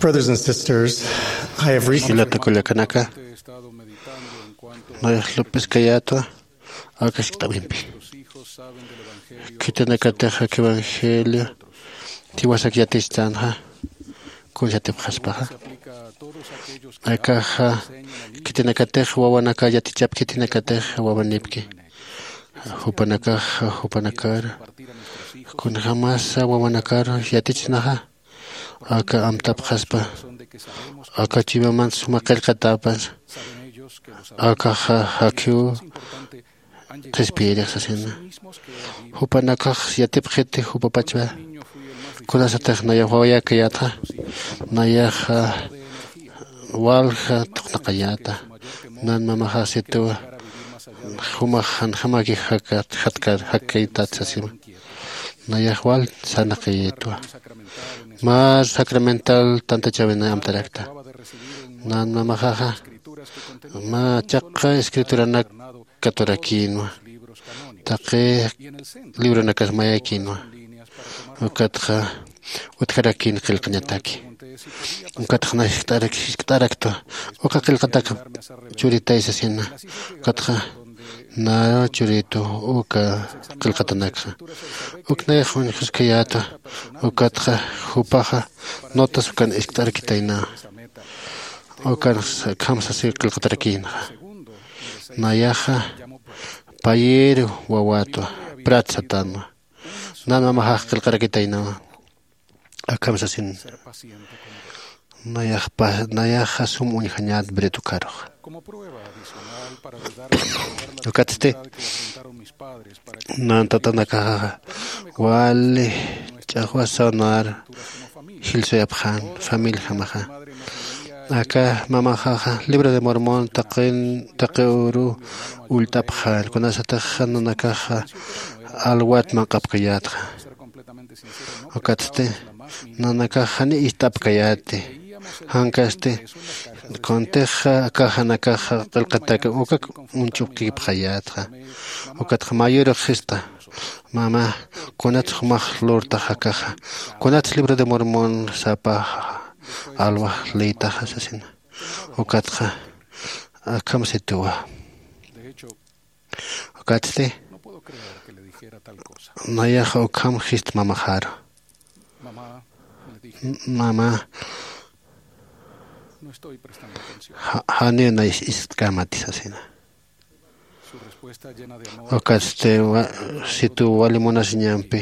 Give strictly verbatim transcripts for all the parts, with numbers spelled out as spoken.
Brothers and sisters, I have recently Jilata kullakanaka, nayax lup'iskayätwa aka jiskt'awimpi. Khitinakatix aka evangelio jiwasak yatichtänxa, kuns yatipxaspaxa. Akaxa khitinakatix wawanaka yatichap khitinakatix wawanipki. Jupanakaxa, jupanakar kunjämasa wawanakar yatichnaxa, aka amtapxaspa, aka chuymaman suma qillqatäpan, akaxa jakhiw qhispiyirix sasina. Jupanakax yatipxiti jupapachwa, kunasatix nayax wawayäkayätxa, nayaxa walja thuqnaqayäta. Nan mamaxax situwa jumax janjämaki jakat jatkar jakkaytat sasima. Nayax wal sarnaqayätwa. Mä sacramental tantachäwinay amtarakta. Nan mamaxaxa mä chaqha escrituranak katurakïnwa, taqi libronakas mayakïnwa. Ukatxa utjarakïn qillqañataki. Ukatxa nayax jiskt'araktwa, uka qillqatak churitay sasina. Ukatxa nä churitu uka qillqatanakxa. Uk nayax uñjuskayäta, ukatxa jupaxa notas ukan iskt'arakitayna. Ukan akham sasi qillqatarakïnxa. Nayaxa payeru wawätwa, prat satänwa. Nan mamaxax qillqarakitaynawa. Akham sasin, nayaxpa nayaxa sum uñjañät bretukarux. Ukatsti nan tatanakaxaxa wali ch'axwasanar jilsuyapxän familijamaxa. Aka mamaxaxa libro de Mormon taqin taqi uru ullt'apxän, kunasatix nanakaxa alwat manq'apkayätxa. Ukatsti nanakax jani ist'apkayäti, jankasti kuntixa akax janakaxa qillqatak ukak uñch'ukipxayätxa. Ukatxa mayürux jista, mama, kunats jumax lurtax akaxa, kunats libro de Mormon sapa alwax leytaxa sasina. Ukatxa akham situwa. Ukatsti nayaxa ukham jist mamaxaru, mama, janiw nay ist'kämati sasina. Ukatsti situw wali munasiñampi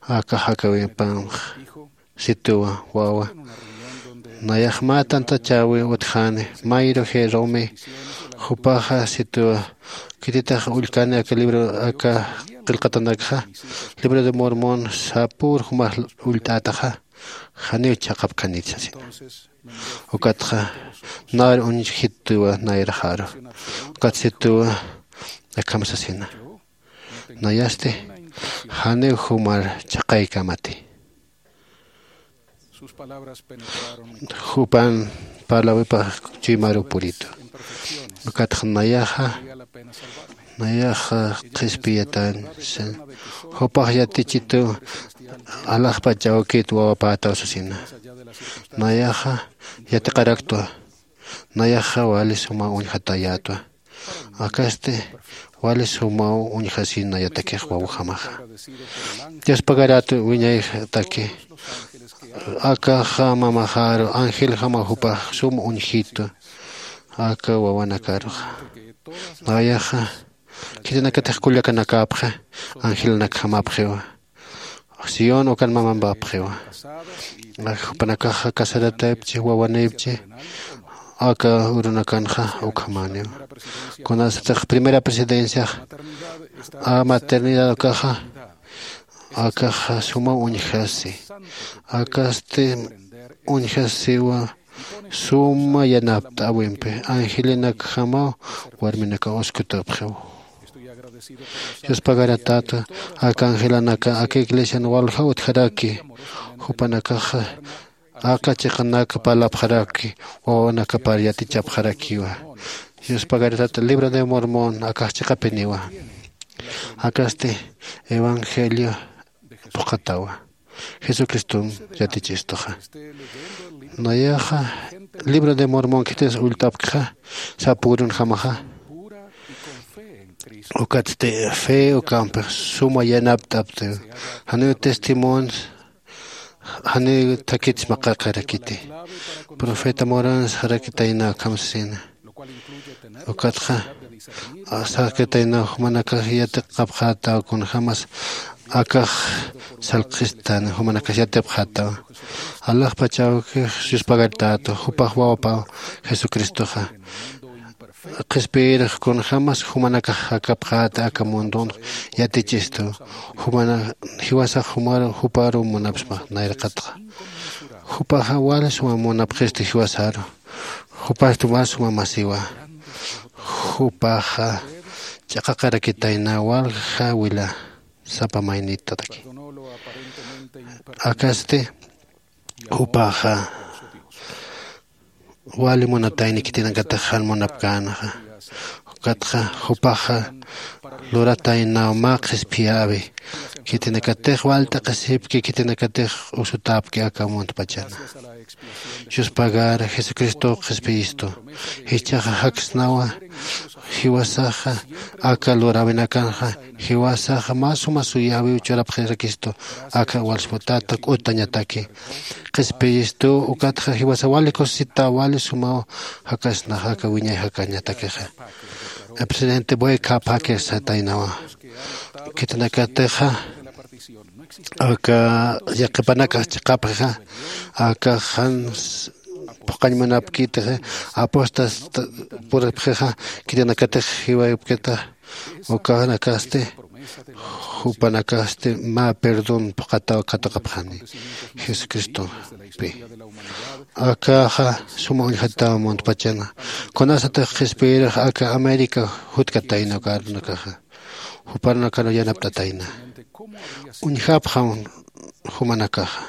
aka jakawimpanx situwa, wawa, nayax mä tantachäwi utjäni mayru jerome. Jupaxa situwa, khititix ullkani aka libro aka qillqatanakxa, libro de Mormon sapür jumax ullt'ätaxa, janiw chhaqapkänit sasina. Ukatxa nayr uñjituwa nayraxaru. Ukat situwa akham sasina, nayasti janiw jumar chhaqaykämati. Jupan parlawipax chuymaru puritu. Ukatxa nayaxa nayaxa qhispiyatan, jupax yatichitu alaxpach awkit wawapätaw sasina. Nayaxa yatiqaraktwa, nayaxa wali suma uñjatayätwa. Akasti wali sumaw uñjasin nayatakix wawjamaxa. Dios pagaratu wiñayxtaki, akaxa mamaxaru angeljamaw jupax sum uñjitu aka wawanakaruxa. Nayaxa khitinakatix kullakanakäpxi, angelanakjamäpxiwa. Sión ukan mamampapxiwa. Jupanakaxa casarataypchi, wawanïpchi, aka urunakanxa ukhamäniwa. Kunasatix primera presidenciax a maternidad ukaxa, akaxa suma uñjasi, akasti uñjasiwa. Suma yanapt'äwimpi angelinakjamaw warminakaw uskutupxiw. Yuspagaratäta aka angelanaka aka iglesian walja utjaraki, jupanakaxa aka chiqanak parlapxaraki, wawanakapar yatichapxarakiwa. Yuspagaratäta libro de Mormon akax chiqapiniwa. Akasti evangelio phuqhatawa. Jesucriston yatichistuxa. Nayaxa libro de Mormon khitis ullt'apkxa sapürunjamaxa. Ukatsti fe ukampix suma yanapt'apti. Janiw testimonio janiw thakit maqaqarakiti. Profeta Morán sarakitayna akham sasina. Ukatxa sarakitayna jumanakax yatiqapxätaw kunjämas akax salqhistan jumanakax yatipxätaw. Alaxpachawkix yuspagartätu jupax wawapaw jesucristoxa. Qhispiyirix kunjämas jumanakax jakapxäta aka mundon yatichistu. Jumana jiwasax jumaru juparu munapsma nayraqatxa. Jupaxa wali suma munapxistu jiwasaru. Jupasti wal suma masiwa. Jupaxa ch'aqaqarakitayna walja wila sapa maynitataki. Akasti jupaxa wali munatayni khitinakatix jan munapkänaxa. Ukatxa jupaxa lurataynaw mä qhispiyäwi khitinakatix wal t'aqhisipki khitinakatix usutäpki aka muntpachana. Yuspagar jesucristow qhispiyistu. Jichhaxa jaksnawa jiwasaxa aka luräwinakanxa jiwasaxa mä suma suyäwiw churapxirakistu. Aka walsputäta k'utañataki qhispiyistu. Ukatxa jiwasa wali kusisita wali sumaw jakasnaxa aka wiñay jakañatakixa. Presidente boy khapakir sataynawa khitinakatixa aka yaqhipanakax chiqapxixa aka jan phuqañ munapkitixa apostas puripxixa khitinakatix jiwaypkita. Ukanakasti jupanakasti mä perdón phuqataw katuqapxani jesucristompi. Akaxa suma uñjataw muntpachana. Kunasatix qhispiyirix aka américa jutkatayna ukarunakaxa juparunakaru yanapt'atayna. Uñjapxam jumanakaxa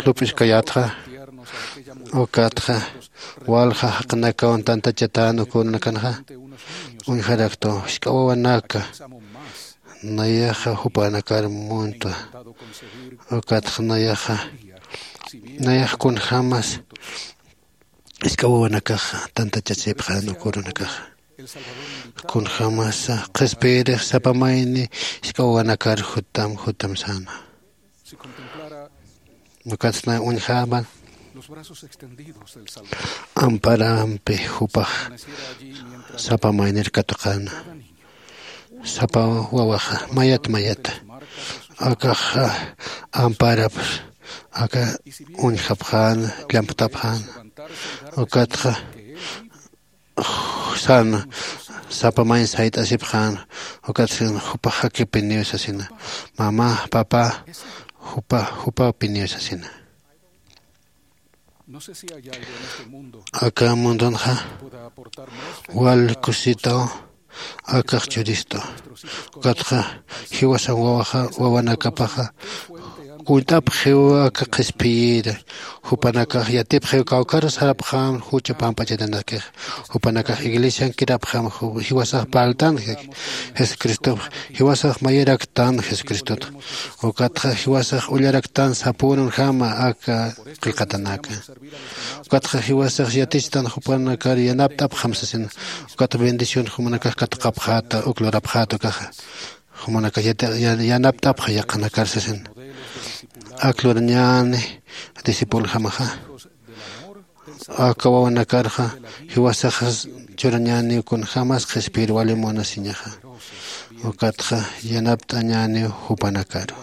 lup'iskayätxa. Ukatxa walja jaqinakawan tantachatän ukürunakanxa uñjaraktu jisk'a wawanaka nayaxa jupanakar muntwa. Ukatxa nayaxa nayax kunjämas jisk'a wawanakaxa tantachasipxän ukürunakaxa. Kunjämasa qhispiyirix sapa mayni jisk'a wawanakar jutam jutam säna. Ukatsti uñjäman amparampi jupax sapa maynir katuqäna. Sapa wawaxa mayat mayat akax amparap aka uñjapxäna llamptapxäna. Ukatxa sän sapa mayn sayt'asipxän. Ukat jupax jakipiniw sasina. Mamá papá jupa jupapiniw sasina. Aka mundunxa wal kusitaw akax churistu. Ukatxa jiwasan wawaxa wawanakapaxa kunt'apxiw aka qhispiyir. Jupanakax yatipxiw kawkharus sarapxam jucha pamp'achatanakix. Jupanakax iglesian kirapxam jiwasax parltan jesucristopx jiwasax mayaraktan jesucristotxa. Ukatxa jiwasax ullaraktan sapürunjama aka qillqatanaka. Ukatxa jiwasax yatichtan jupanakar yanapt'apxam sasina. Ukatxa bendición jumanakax katuqapxäta uk lurapxäta ukaxa jumanakax yanapt'apxa yaqhanakar sasina. Ak lurañäni discipulojamaxa aka wawanakarxa jiwasaxas churañäniw kunjämas qhispiyir wali munasiñaxa. Ukatxa yanapt'añäniw jupanakaru.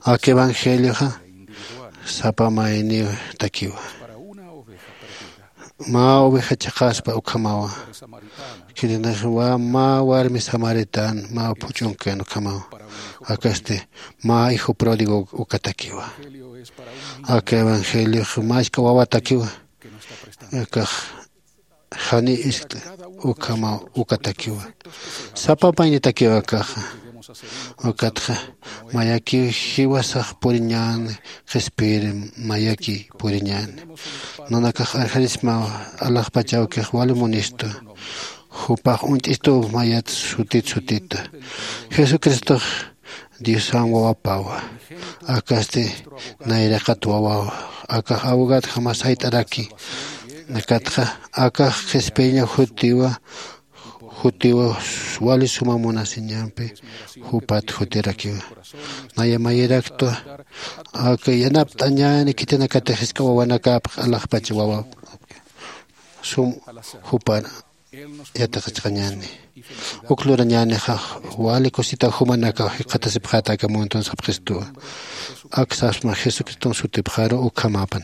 Ak evangelioxa sapa mayniw takiwa. Mä oveja chiqaspa ukhamawa. Khitinix mä warmi samaritana mä phuch'unkan ukhamawa. Akasti mä hijo pródigo ukatakiwa. Aka evangeliox mä jisk'a wawatakiwa. Akax jani iskt'a ukhamaw ukatakiwa. Sapa maynitakiw akaxa. Ukatxa mayakiw jiwasax puriñäni qhispiyir mayaki puriñäni. Nanakax arjarismaw alaxpachawkix wali munistu. Jupax uñt'istuw mayat sutit sutita. Jesucristox Diosam wawapawa. Akasti nayraqat wawawa. Akax abogadjama sayt'araki. Nakatxa akax qhispiyaña jutiwa jutiwa wali suma munasiñampi jupat jutirakiwa. Naya mayiraktwa aka yanapt'añäni khitinakatix jisk'a wawanakapx alaxpacha wawa sum jupan yatiqachqañäni. Uk lurañänixa wali kusita jumanakaw jikxatasipxäta aka munton sapxistuwa. Ak sapsma jesucriston sutipxaru ukhamäpan.